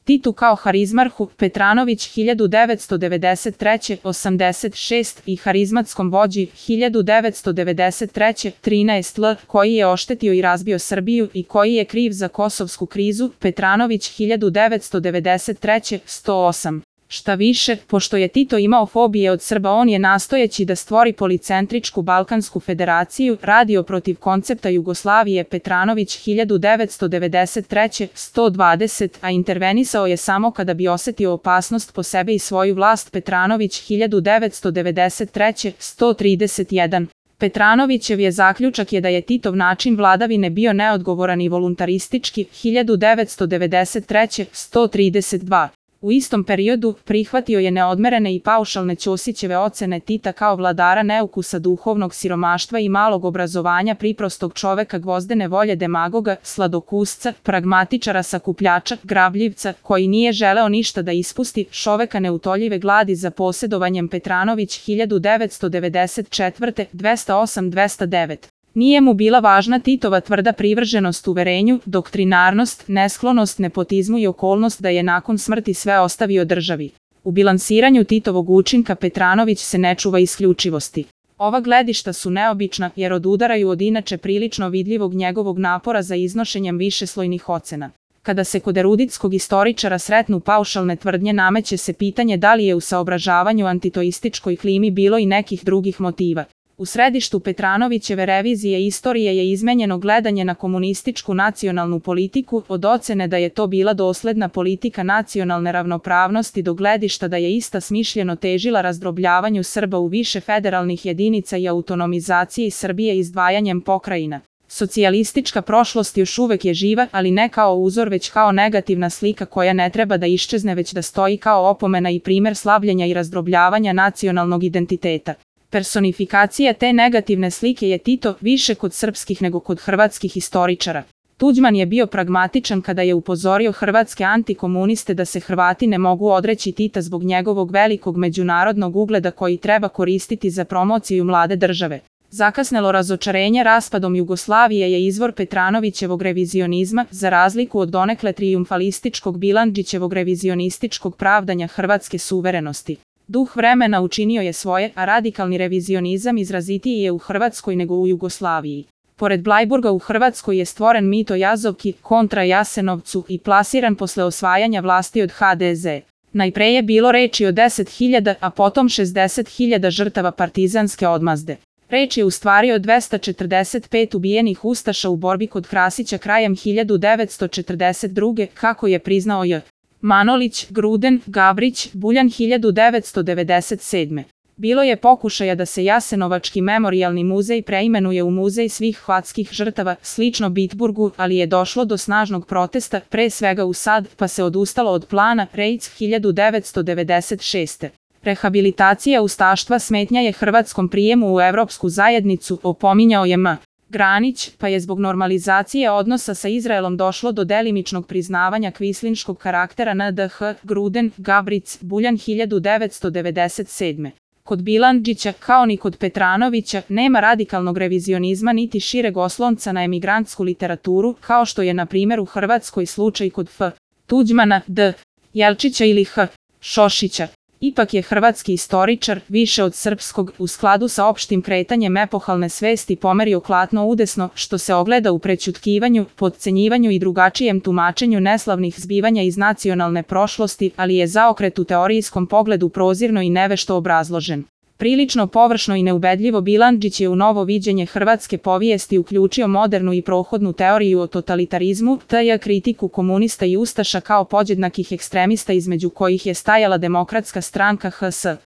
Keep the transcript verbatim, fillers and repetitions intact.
Titu kao harizmarhu Petranović hiljadu devetsto devedeset treće – osamdeset šest i harizmatskom vođi hiljadu devetsto devedeset treće – trinaest L, koji je oštetio i razbio Srbiju i koji je kriv za kosovsku krizu, Petranović hiljadu devetsto devedeset treće – sto osam. Šta više, pošto je Tito imao fobije od Srba, on je nastojeći da stvori policentričku Balkansku federaciju, radio protiv koncepta Jugoslavije Petranović hiljadu devetsto devedeset treće – sto dvadeset, a intervenisao je samo kada bi osetio opasnost po sebe i svoju vlast Petranović hiljadu devetsto devedeset treće – sto trideset jedan. Petranovićev je zaključak je da je Titov način vladavine bio neodgovoran i voluntaristički hiljadu devetsto devedeset treće – sto trideset dva. U istom periodu prihvatio je neodmerene i paušalne Ćosićeve ocene Tita kao vladara neukusa, duhovnog siromaštva i malog obrazovanja, priprostog čoveka, gvozdene volje, demagoga, sladokusca, pragmatičara, sakupljača, grabljivca, koji nije želeo ništa da ispusti, čoveka neutoljive gladi za posjedovanjem. Petranović hiljadu devetsto devedeset četvrte dvesta osam dvesta devet. Nije mu bila važna Titova tvrda privrženost uverenju, doktrinarnost, nesklonost nepotizmu i okolnost da je nakon smrti sve ostavio državi. U bilansiranju Titovog učinka Petranović se ne čuva isključivosti. Ova gledišta su neobična jer odudaraju od inače prilično vidljivog njegovog napora za iznošenjem višeslojnih ocena. Kada se kod eruditskog istoričara sretnu paušalne tvrdnje, nameće se pitanje da li je u saobražavanju antitoističkoj klimi bilo i nekih drugih motiva. U središtu Petranovićeve revizije istorije je izmenjeno gledanje na komunističku nacionalnu politiku, od ocene da je to bila dosledna politika nacionalne ravnopravnosti do gledišta da je ista smišljeno težila razdrobljavanju Srba u više federalnih jedinica i autonomizaciji Srbije izdvajanjem pokrajina. Socijalistička prošlost još uvek je živa, ali ne kao uzor, već kao negativna slika koja ne treba da iščezne, već da stoji kao opomena i primer slabljenja i razdrobljavanja nacionalnog identiteta. Personifikacija te negativne slike je Tito, više kod srpskih nego kod hrvatskih istoričara. Tuđman je bio pragmatičan kada je upozorio hrvatske antikomuniste da se Hrvati ne mogu odreći Tita zbog njegovog velikog međunarodnog ugleda koji treba koristiti za promociju mlade države. Zakasnelo razočarenje raspadom Jugoslavije je izvor Petranovićevog revizionizma, za razliku od donekle trijumfalističkog Bilandžićevog revizionističkog pravdanja hrvatske suverenosti. Duh vremena učinio je svoje, a radikalni revizionizam izrazitiji je u Hrvatskoj nego u Jugoslaviji. Pored Blajburga u Hrvatskoj je stvoren mit o Jazovki kontra Jasenovcu i plasiran posle osvajanja vlasti od ha de ze. Najpre je bilo reči o deset hiljada, a potom šezdeset hiljada žrtava partizanske odmazde. Reč je u stvari o dvesta četrdeset pet ubijenih ustaša u borbi kod Krasića krajem hiljadu devetsto četrdeset druge. kako je priznao J. Manolić, Gruden, Gavrić, Buljan hiljadu devetsto devedeset sedme. Bilo je pokušaja da se Jasenovački memorijalni muzej preimenuje u muzej svih hrvatskih žrtava, slično Bitburgu, ali je došlo do snažnog protesta, pre svega u Sad, pa se odustalo od plana. Rejc hiljadu devetsto devedeset šeste. Rehabilitacija ustaštva smetnja je hrvatskom prijemu u Evropsku zajednicu, opominjao je M. Granić, pa je zbog normalizacije odnosa sa Izraelom došlo do delimičnog priznavanja kvislinškog karaktera en de ha. Gruden, Gavrić, Buljan hiljadu devetsto devedeset sedme. Kod Bilandžića, kao ni kod Petranovića, nema radikalnog revizionizma niti šireg oslonca na emigrantsku literaturu, kao što je na primjer u Hrvatskoj slučaj kod F. Tuđmana, D. Jelčića ili H. Šošića. Ipak je hrvatski istoričar, više od srpskog, u skladu sa opštim kretanjem epohalne svesti pomerio klatno udesno, što se ogleda u prećutkivanju, potcenjivanju i drugačijem tumačenju neslavnih zbivanja iz nacionalne prošlosti, ali je zaokret u teorijskom pogledu prozirno i nevešto obrazložen. Prilično površno i neubedljivo Bilandžić je u novo viđenje hrvatske povijesti uključio modernu i prohodnu teoriju o totalitarizmu, te kritiku komunista i ustaša kao podjednakih ekstremista između kojih je stajala Demokratska stranka ha es.